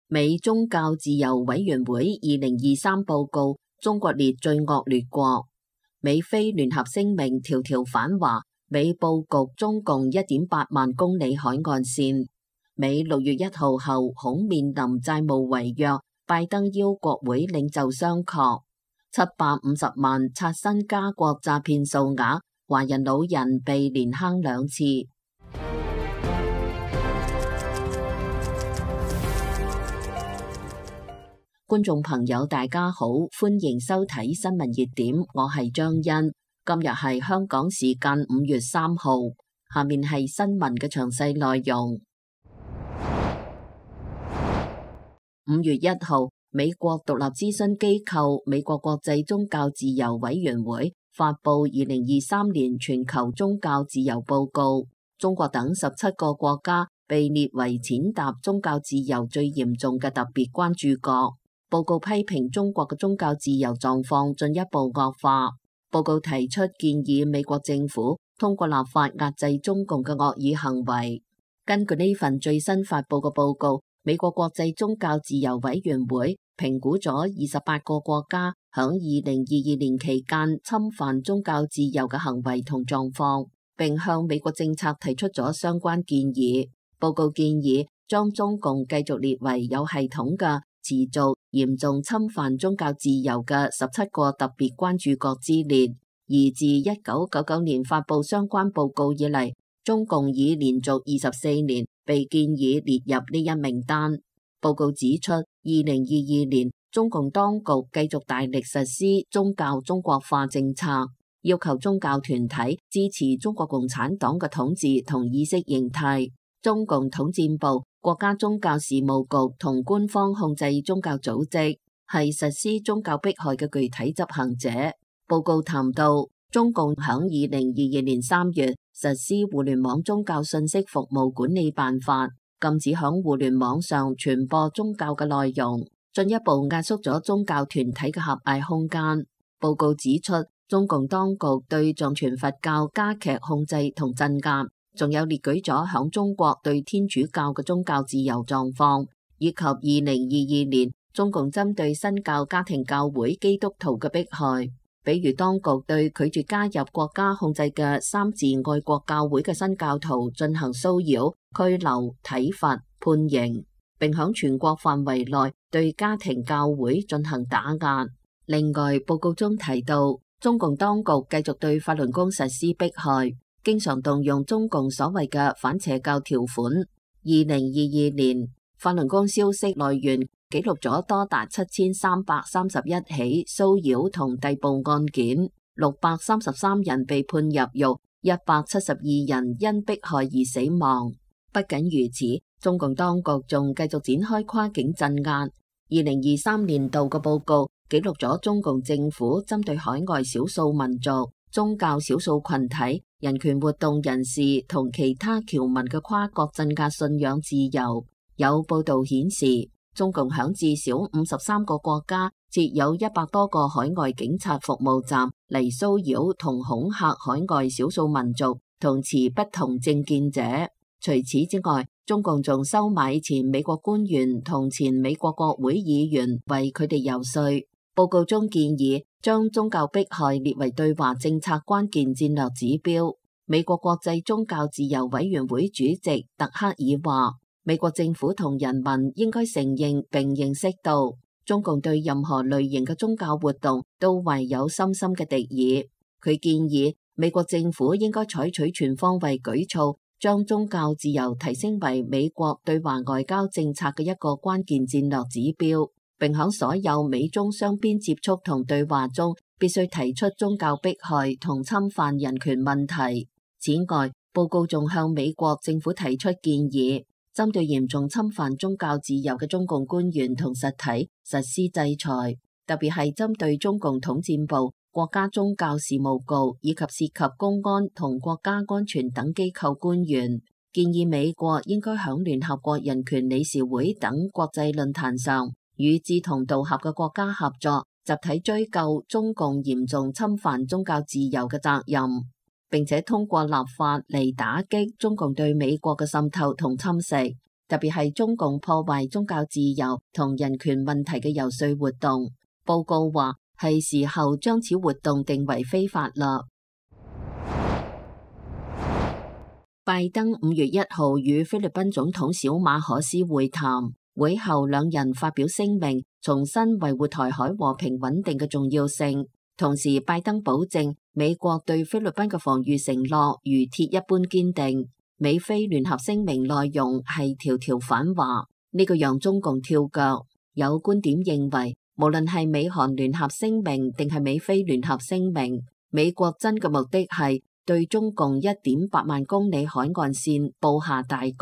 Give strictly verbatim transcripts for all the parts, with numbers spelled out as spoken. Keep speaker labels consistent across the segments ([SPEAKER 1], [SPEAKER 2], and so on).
[SPEAKER 1] 美宗教自由委員會二零二三報告，中國列最惡劣國。美菲聯合聲明條條反華，美佈局中共一點八萬公里海岸線。美六月一號後恐面臨債務違約，拜登邀國會領袖商榷。七百五十萬刷新加國詐騙數額，華人老人被連坑兩次。觀眾朋友大家好，歡迎收睇新聞熱點，我係張欣。今日係香港時間五月三號，下面係新聞嘅詳細內容。五月一號，美國獨立諮詢機構美國國際宗教自由委員會發佈二零二三年全球宗教自由報告，中國等十七個國家被列為踐踏宗教自由最嚴重嘅特別關注國。報告批評中國嘅宗教自由狀況進一步惡化。報告提出建議美國政府通過立法壓制中共嘅惡意行為。根據呢份最新發佈嘅報告，美國國際宗教自由委員會評估咗二十八個國家響二零二二年期間侵犯宗教自由嘅行為同狀況，並向美國政策提出咗相關建議。報告建議將中共繼續列為有系統嘅持續嚴重侵犯宗教自由嘅十七個特別關注國之列，而自一九九九年發佈相關報告以嚟，中共已連續二十四年被建議列入呢一名單。報告指出，二零二二年中共當局繼續大力實施宗教中國化政策，要求宗教團體支持中國共產黨嘅統治同意識形態。中共統戰部、國家宗教事務局同官方控制宗教組織係實施宗教迫害嘅具體執行者。報告談到，中共響二零二二年三月實施《互聯網宗教信息服務管理辦法》，禁止響互聯網上傳播宗教嘅內容，進一步壓縮咗宗教團體嘅狹隘空間。報告指出，中共當局對藏傳佛教加劇控制同鎮壓，仲有列舉咗響中國對天主教嘅宗教自由狀況，以及二零二二年中共針對新教家庭教會基督徒嘅迫害，比如當局對拒絕加入國家控制嘅三自愛國教會嘅新教徒進行騷擾、拘留、體罰、判刑，並響全國範圍內對家庭教會進行打壓。另外，報告中提到，中共當局繼續對法輪功實施迫害，經常動用中共所謂嘅反邪教條款。二零二二年，法輪功消息來源記錄咗多達七千三百三十一起騷擾同逮捕案件，六百三十三人被判入獄，一百七十二人因迫害而死亡。不僅如此，中共當局仲繼續展開跨境鎮壓。二零二三年度嘅報告記錄咗中共政府針對海外少數民族、宗教少數群體、人權活動人士同其他僑民嘅跨國鎮壓信仰自由。有報道顯示，中共響至少五十三個國家設有一百多個海外警察服務站嚟騷擾同恐嚇海外少數民族同持不同政見者。除此之外，中共仲收買前美國官員同前美國國會議員為佢哋游說。報告中建議將宗教迫害列為對華政策關鍵戰略指標。美國國際宗教自由委員會主席特克爾話，美國政府同人民應該承認並認識到，中共對任何類型嘅宗教活動都懷有深深嘅敵意。佢建議美國政府應該採取全方位舉措，將宗教自由提升為美國對華外交政策嘅一個關鍵戰略指標，並喺所有美中雙邊接觸同對話中必須提出宗教迫害同侵犯人權問題。此外，報告仲向美國政府提出建議，針對嚴重侵犯宗教自由嘅中共官員同實體實施制裁，特別係針對中共統戰部、國家宗教事務局以及涉及公安同國家安全等機構官員。建議美國應該響聯合國人權理事會等國際論壇上，與志同道合嘅國家合作，集體追究中共嚴重侵犯宗教自由嘅責任，並且通過立法嚟打擊中共對美國嘅滲透同侵蝕。特別係中共破壞宗教自由同人權問題嘅遊說活動。報告話係時候將此活動定為非法啦。拜登五月一號與菲律賓總統小馬可斯會談，會後兩人發表聲明，重申維護台海和平穩定嘅重要性。同時，拜登保證美國對菲律賓嘅防禦承諾如鐵一般堅定。美菲聯合聲明內容係條條反話，呢個讓中共跳腳。有觀點認為，無論係美韓聯合聲明定係美菲聯合聲明，美國真嘅目的係對中共一點八萬公里海岸線布下大局。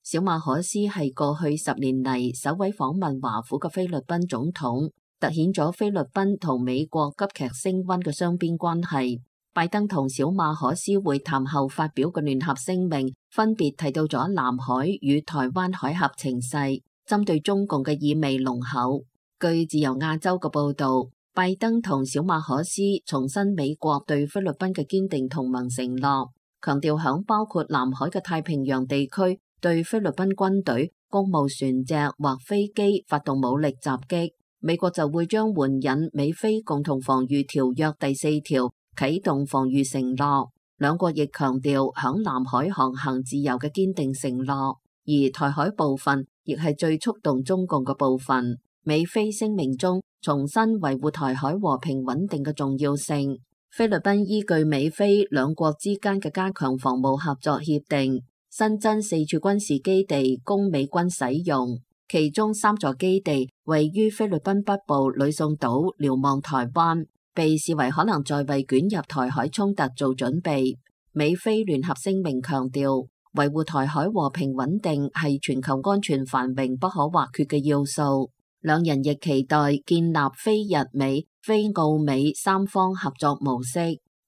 [SPEAKER 1] 小馬可斯係過去十年嚟首位訪問華府嘅菲律賓總統，凸顯咗菲律賓同美國急劇升溫嘅雙邊關係。拜登同小馬可斯會談後發表嘅聯合聲明，分別提到咗南海與台灣海峽情勢，針對中共嘅意味濃厚。據自由亞洲嘅報導，拜登同小馬可斯重申美國對菲律賓嘅堅定同盟承諾，強調響包括南海嘅太平洋地區對菲律賓軍隊、公務船隻或飛機發動武力襲擊，美國就會將援引美菲共同防禦條約第四條啟動防禦承諾。兩國亦強調響南海航行自由嘅堅定承諾，而台海部分亦係最觸動中共嘅部分。美菲聲明中重申維護台海和平穩定嘅重要性。菲律賓依據美菲兩國之間嘅加強防務合作協定，新增四處軍事基地供美軍使用，其中三座基地位於菲律賓北部呂宋島，瞭望台灣，被視為可能在為捲入台海衝突做準備。美菲聯合聲明強調，維護台海和平穩定係全球安全繁榮不可或缺嘅要素。兩人亦期待建立非日美、非澳美三方合作模式，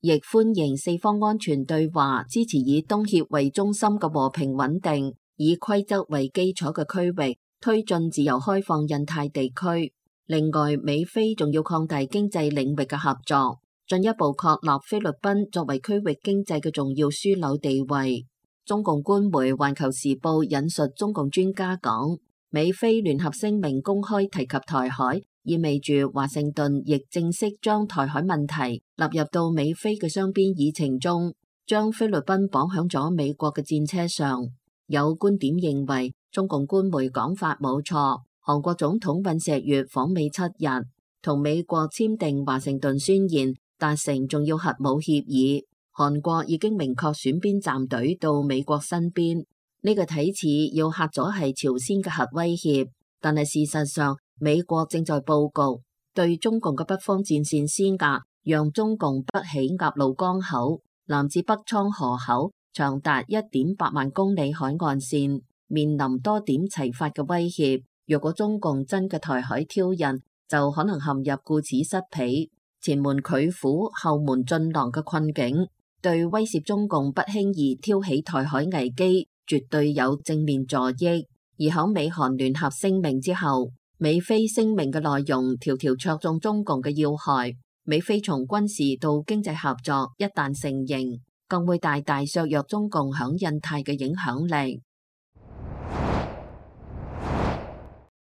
[SPEAKER 1] 亦歡迎四方安全對話，支持以東協為中心嘅和平穩定、以規則為基礎嘅區域，推進自由開放印太地區。另外，美菲仲要擴大經濟領域嘅合作，進一步確立菲律賓作為區域經濟嘅重要樞紐地位。中共官媒《環球時報》引述中共專家講，美菲聯合聲明公開提及台海，意味住華盛頓亦正式將台海問題納入到美菲嘅雙邊議程中，將菲律賓綁響咗美國嘅戰車上。有觀點認為，中共官媒講法冇錯。韓國總統尹錫悅訪美七日，同美國簽訂華盛頓宣言，達成重要核武協議。韓國已經明確選邊站隊到美國身邊。呢個睇似要嚇咗係朝鮮嘅核威脅，但係事實上美國正在佈局對中共嘅北方戰線施壓，讓中共北起鴨綠江口，南至北倉河口，長達一點八萬公里海岸線，面臨多點齊發嘅威脅。若果中共真嘅台海挑釁，就可能陷入顧此失彼、前門拒虎、後門進狼嘅困境，對威懾中共不輕易挑起台海危機絕對有正面助益。而喺美韓聯合聲明之後，美菲聲明嘅內容條條戳中中共嘅要害。美菲從軍事到經濟合作一旦成形，更會大大削弱中共響印太嘅影響力。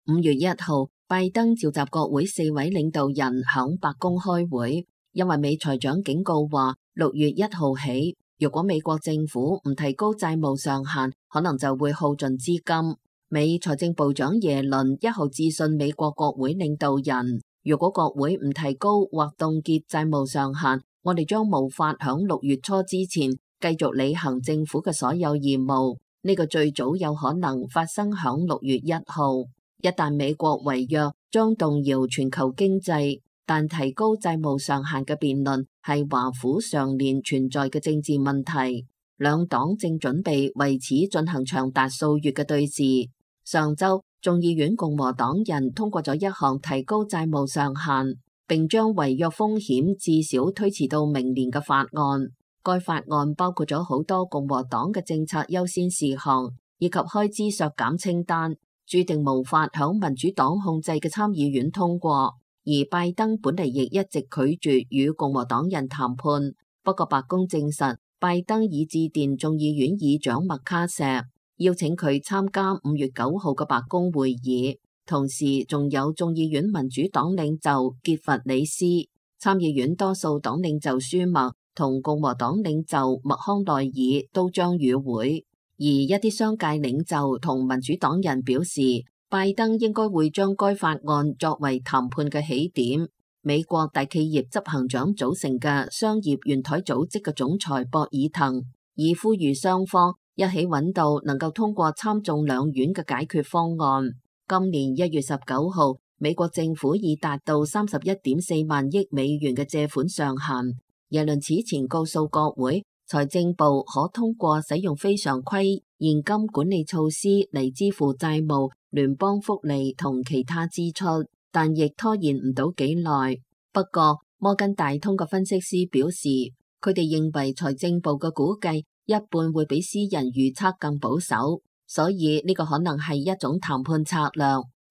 [SPEAKER 1] 五月一號，拜登召集國會四位領導人響白宮開會，因為美財長警告話，六月一號起，如果美國政府唔提高債務上限，可能就會耗盡資金。美財政部長耶倫一號致信美國國會領導人，如果國會唔提高或凍結債務上限，我哋將無法響六月初之前繼續履行政府嘅所有義務。呢個最早有可能發生響六月一號。一旦美國違約，將動搖全球經濟，但提高債務上限嘅辯論係華府常年存在嘅政治問題。兩黨正準備為此進行長達數月嘅對峙。上週，眾議院共和黨人通過咗一項提高債務上限，並將違約風險至少推遲到明年嘅法案。該法案包括咗好多共和黨嘅政策優先事項，以及開支削減清單，注定無法響民主黨控制嘅參議院通過，而拜登本嚟亦一直拒絕與共和黨人談判。不過白宮證實，拜登已致電眾議院議長麥卡錫，邀請佢參加五月九號嘅白宮會議，同時仲有眾議院民主黨領袖傑弗里斯、參議院多數黨領袖舒默同共和黨領袖麥康奈爾都將與會。而一啲商界領袖同民主黨人表示，拜登應該會將該法案作為談判嘅起點。美國大企業執行長組成嘅商業圓台組織嘅總裁博爾滕已呼籲雙方一起揾到能夠通過參眾兩院嘅解決方案。今年一月十九號，美國政府已達到三十一點四萬億美元嘅借款上限。耶倫此前告訴國會，財政部可通過使用非常規現金管理措施嚟支付債務、聯邦福利同其他支出，但亦拖延唔到幾耐。不過，摩根大通嘅分析師表示，佢哋認為財政部嘅估計一半會比私人預測更保守，所以呢個可能係一種談判策略，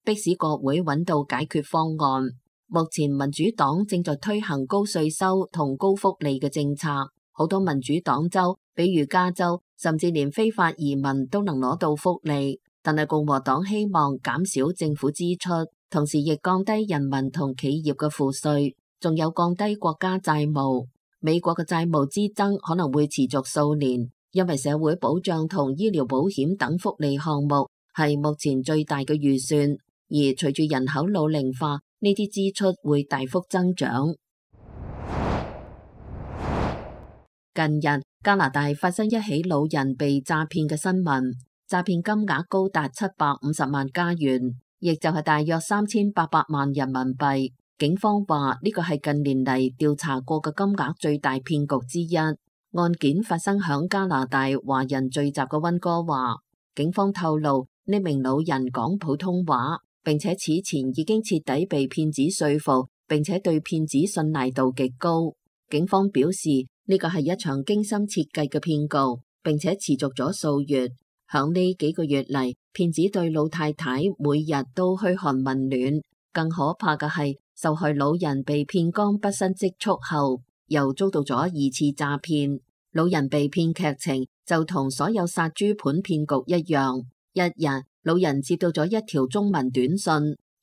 [SPEAKER 1] 迫使國會揾到解決方案。目前民主黨正在推行高稅收同高福利嘅政策，好多民主黨州，比如加州，甚至連非法移民都能攞到福利。但係共和黨希望減少政府支出，同時亦降低人民同企業嘅賦稅，仲有降低國家債務。美國嘅債務之爭可能會持續數年，因為社會保障同醫療保險等福利項目係目前最大嘅預算，而隨住人口老齡化，呢啲支出會大幅增長。近日，加拿大發生一起老人被詐騙嘅新聞。詐騙金額高達七百五十萬加元，亦就係大約三千八百萬人民幣。警方話呢個係近年嚟調查過嘅金額最大騙局之一。案件發生響加拿大華人聚集嘅溫哥華。警方透露呢名老人講普通話，並且此前已經徹底被騙子說服，並且對騙子信賴度極高。警方表示呢個係一場精心設計嘅騙局，並且持續咗數月。響呢幾個月嚟，騙子對老太太每日都噓寒問暖。更可怕嘅係，受害老人被騙光畢生積蓄後，又遭到咗二次詐騙。老人被騙劇情就同所有殺豬盤騙局一樣。一日，老人接到咗一條中文短信，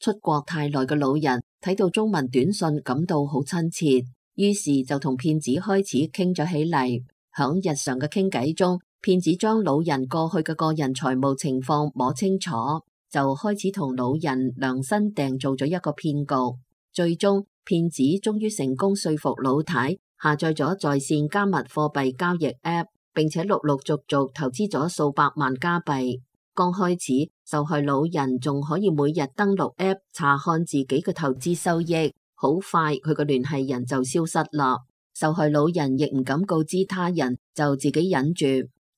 [SPEAKER 1] 出國太耐嘅老人睇到中文短信感到好親切，於是就同騙子開始傾咗起嚟。響日常嘅傾偈中，騙子將老人過去嘅個人財務情況摸清楚，就開始同老人量身訂做咗一個騙局。最終，騙子終於成功說服老太下載咗在線加密貨幣交易 App， 並且陸陸續續投資咗數百萬加幣。剛開始，受害老人仲可以每日登錄 App 查看自己嘅投資收益，好快佢嘅聯繫人就消失啦。受害老人亦唔敢告知他人，就自己忍住。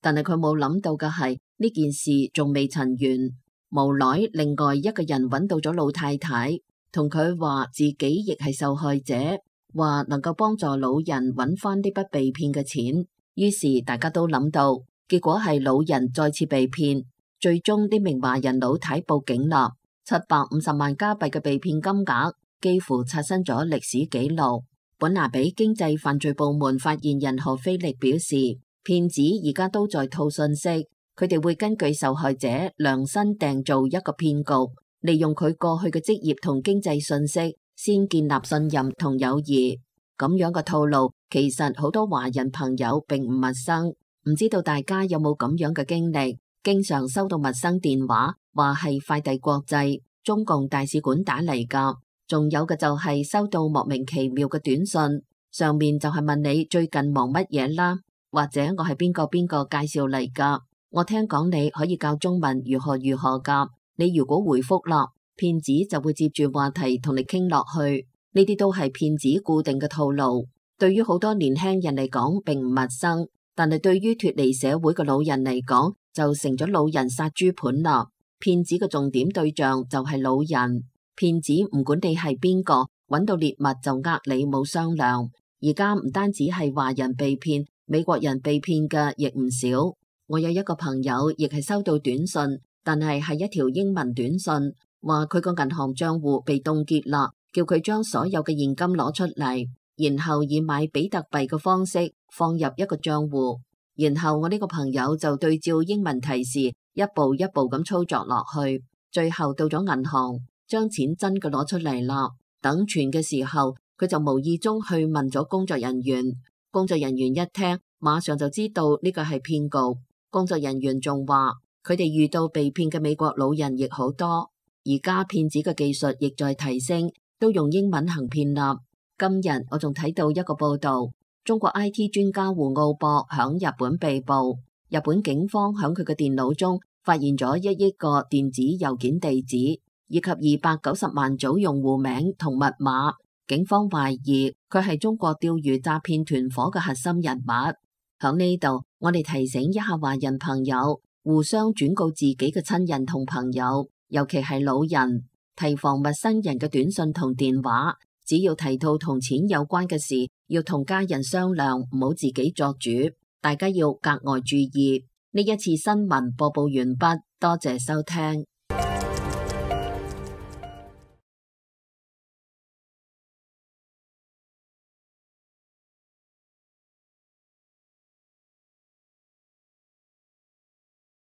[SPEAKER 1] 但係佢冇諗到嘅係呢件事仲未曾完，無奈另外一個人揾到咗老太太，同佢話自己亦係受害者，話能夠幫助老人揾翻呢筆被騙嘅錢。於是大家都諗到，結果係老人再次被騙。最終呢名華人老太報警啦，七百五十萬加幣嘅被騙金額幾乎刷新咗歷史紀錄。本拿比經濟犯罪部門發言人何菲力表示，騙子而家都在套信息，佢哋會根據受害者量身訂造一個騙局，利用佢過去嘅職業同經濟信息，先建立信任同友誼。咁樣嘅套路，其實好多華人朋友並唔陌生，唔知道大家有冇咁樣嘅經歷？經常收到陌生電話，話係快遞國際、中共大使館打嚟噶，仲有嘅就係收到莫名其妙嘅短信，上面就係問你最近忙乜嘢啦，或者我係邊個邊個介紹嚟噶，我聽講你可以教中文如何如何噶，你如果回覆啦，騙子就會接住話題同你傾落去，呢啲都係騙子固定嘅套路，對於好多年輕人嚟講並唔陌生，但係對於脫離社會嘅老人嚟講，就成咗老人殺豬盤啦。騙子嘅重點對象就係老人，騙子唔管你係邊個，揾到獵物就呃你冇商量。而家唔單止係華人被騙，美國人被騙嘅亦唔少。我有一個朋友亦係收到短信，但係係一條英文短信，話佢個銀行賬戶被凍結啦，叫佢將所有嘅現金攞出嚟，然後以買比特幣嘅方式放入一個賬戶。然後我呢個朋友就對照英文提示一步一步咁操作落去，最後到咗銀行，將錢真嘅攞出嚟啦。等存嘅時候，佢就無意中去問咗工作人員，工作人員一聽，馬上就知道呢個係騙局。工作人員仲話，佢哋遇到被騙嘅美國老人亦好多，而家騙子嘅技術亦在提升，都用英文行騙啦。今日我仲睇到一個報道，中國 I T 專家胡奧博響日本被捕，日本警方響佢嘅電腦中發現咗一億個電子郵件地址，以及二百九十萬組用戶名同密碼。警方懷疑佢係中國釣魚詐騙團伙嘅核心人物。響呢度，我哋提醒一下華人朋友，互相轉告自己嘅親人同朋友，尤其係老人，提防陌生人嘅短信同電話。只要提到同錢有關嘅事，要同家人商量，唔好自己作主。大家要格外注意。呢一次新聞播報完畢，多謝收聽。